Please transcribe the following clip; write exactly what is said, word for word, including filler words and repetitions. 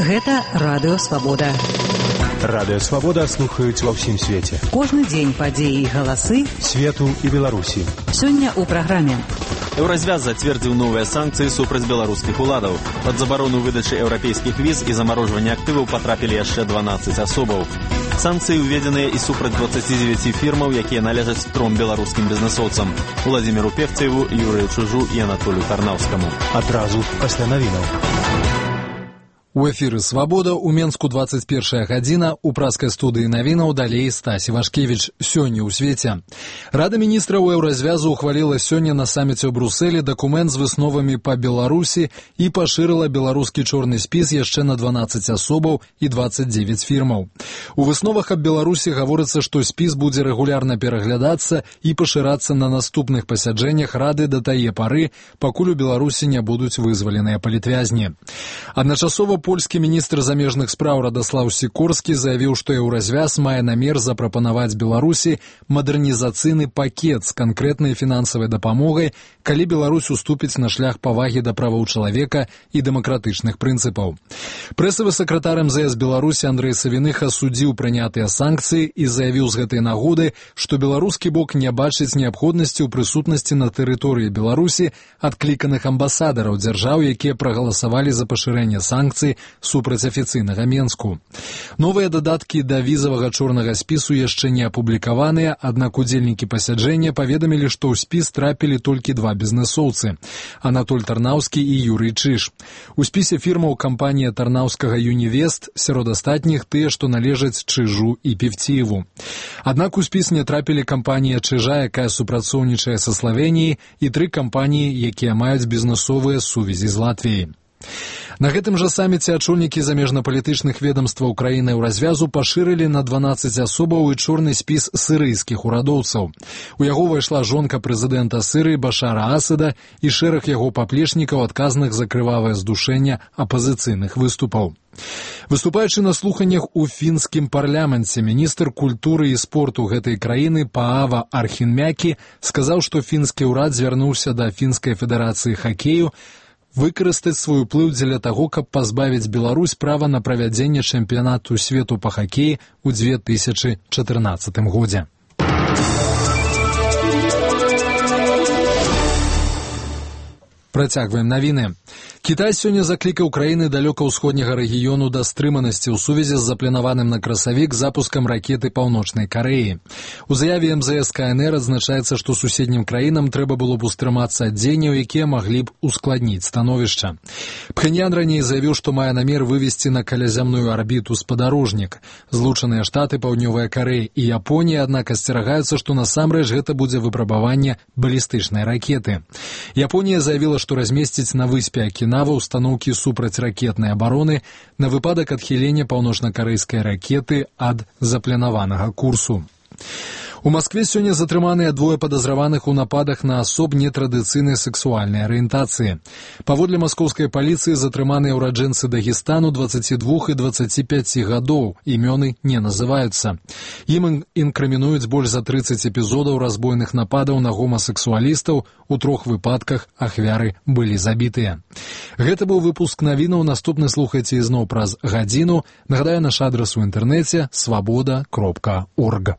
Гэта Радыё Свабода. Радыё Свабода слухаюць ва ўсім свеце. Кожны дзень падзеі і галасы свету і Беларусі. Сёння ў праграме. Еўразвяз зацвердзіў новыя санкцыі супраць беларускіх уладаў. Пад забарону выдачы еўрапейскіх віз і замарожвання актываў патрапілі яшчэ дванаццаць асобаў. Санкцыі ўведзеныя і супраць дваццаці дзевяці фірмаў, якія належаць тром беларускім бізнесоўцам: Уладзіміру Певцаеву, Юрыю Чужу і Анатолію Тарнаўскаму. Адразу пасля навінаў. У эфіры «Свабода», у Менску двадцать первая гадзіна, у праскай студыі навінаў далей Стась Івашкевіч. Сёння ў свеце. Рада міністраў Еўразвязу ухваліла сёння на саміце ў Брусэлі дакумент з высновамі па Беларусі і пашырыла беларускі чорны спіс яшчэ на дванаццаць асобаў і дваццаць дзевяць фірмаў. У высновах аб Беларусі гаворыцца, што спіс будзе рэгулярна пераглядацца і пашырацца на наступных пасяджэннях Рады да тае пары, пакуль у Беларусі не будуць вызваленыя палітвязні. Адначасова польскі міністр замежных спраў Радаслаў Сікорскі заявіў, што Еўразвяз мае намер запрапанаваць Беларусі мадэрнізацыйны пакет з канкрэтнай фінансавай дапамогай, калі Беларусь уступіць на шлях павагі да правоў чалавека і дэмакратычных прынцыпаў. Прэсавы сакратар эм зэ эс Беларусі Андрэй Савіных асудзіў прынятыя санкцыі і заявіў з гэтай нагоды, што беларускі бок не бачыць неабходнасці ў прысутнасці на тэрыторыі Беларусі адкліканых амбасадараў дзяржаў, якія прагаласавалі за пашырэнне санкцый супраць афіцыйнага Менску. Новыя дадаткі да візавага чорнага спісу яшчэ не апублікаваныя, аднак удзельнікі пасяджэння паведамілі, што ў спіс трапілі толькі два бізнесоўцы – Анатоль Тарнаўскі і Юрый Чыж. У спісе фірмаў кампанія Тарнаўскага «Юнівест», сярод астатніх тыя, што належаць Чыжу і Певціеву. Аднак у спіс не трапілі кампанія Чыжа, якая супрацоўнічае са Славеніяй, і тры кампаніі, якія маюць бізнесовыя сувязі з Латвіяй. На гэтым жа саміце ачольнікі замежнапалітычных ведамстваў краіны Еўразвязу пашырылі на дванаццаць асобаў і чорны спіс сірыйскіх урадоўцаў. У яго ўвайшла жонка прэзідэнта Сірыі Башара Асада і шэраг яго паплечнікаў, адказных за крывавае здушэнне апазіцыйных выступаў. Выступаючы на слуханнях у фінскім парламенце, міністр культуры і спорту гэтай краіны Паава Архінмякі сказаў, што фінскі ўрад звярнуўся да фінскай федэрацыі хакею выкарыстаць свой уплыў дзеля таго, каб пазбавіць Беларусь права на правядзенне чэмпіянату свету па хакеі ў две тысячы чатырнаццатым годзе. Працягваем навіны. Кітай сёння заклікаў краіны далёка-ўсходняга рэгіёну да стрыманасці ў сувязі з запланаваным на красавік запускам ракеты Паўночнай Карэі. У заяве эм зэ эс ка эн эр адзначаецца, што суседнім краінам трэба было б устрымацца ад дзеянняў, якія маглі б ускладніць становішча. Пхеньян раней заявіў, што мае намер вывесці на каляямную арбіту спадарожнік. Злучаныя Штаты, Паўднёвая Карэя і Японія, аднак асцерагаюцца, што насамрэч гэта будзе выпрабаванне балістычнай ракеты. Японія заявіла, што размесціць на выспе Акінава устаноўкі супрацьракетнай абароны на выпадак адхілення паўночна-карэйскай ракеты ад запланаванага курсу. У Маскве сёння затрыманыя двое падазраваных у нападах на асоб нетрадыцыйнай сексуальнай арыентацыі. Паводле маскоўскай паліцыі затрыманыя ўраджэнцы Дагестану дваццаці двух і дваццаці пяці гадоў, імёны не называюцца. Ім інкрымінуюць больш за трыццаць эпізодаў разбойных нападаў на гомасексуалістаў, у трох выпадках ахвяры былі забітыя. Гэта быў выпуск навінаў, наступны слухайце ізноў праз гадзіну. Нагадаю, наш адрас у інтэрнэце свабода кропка орг.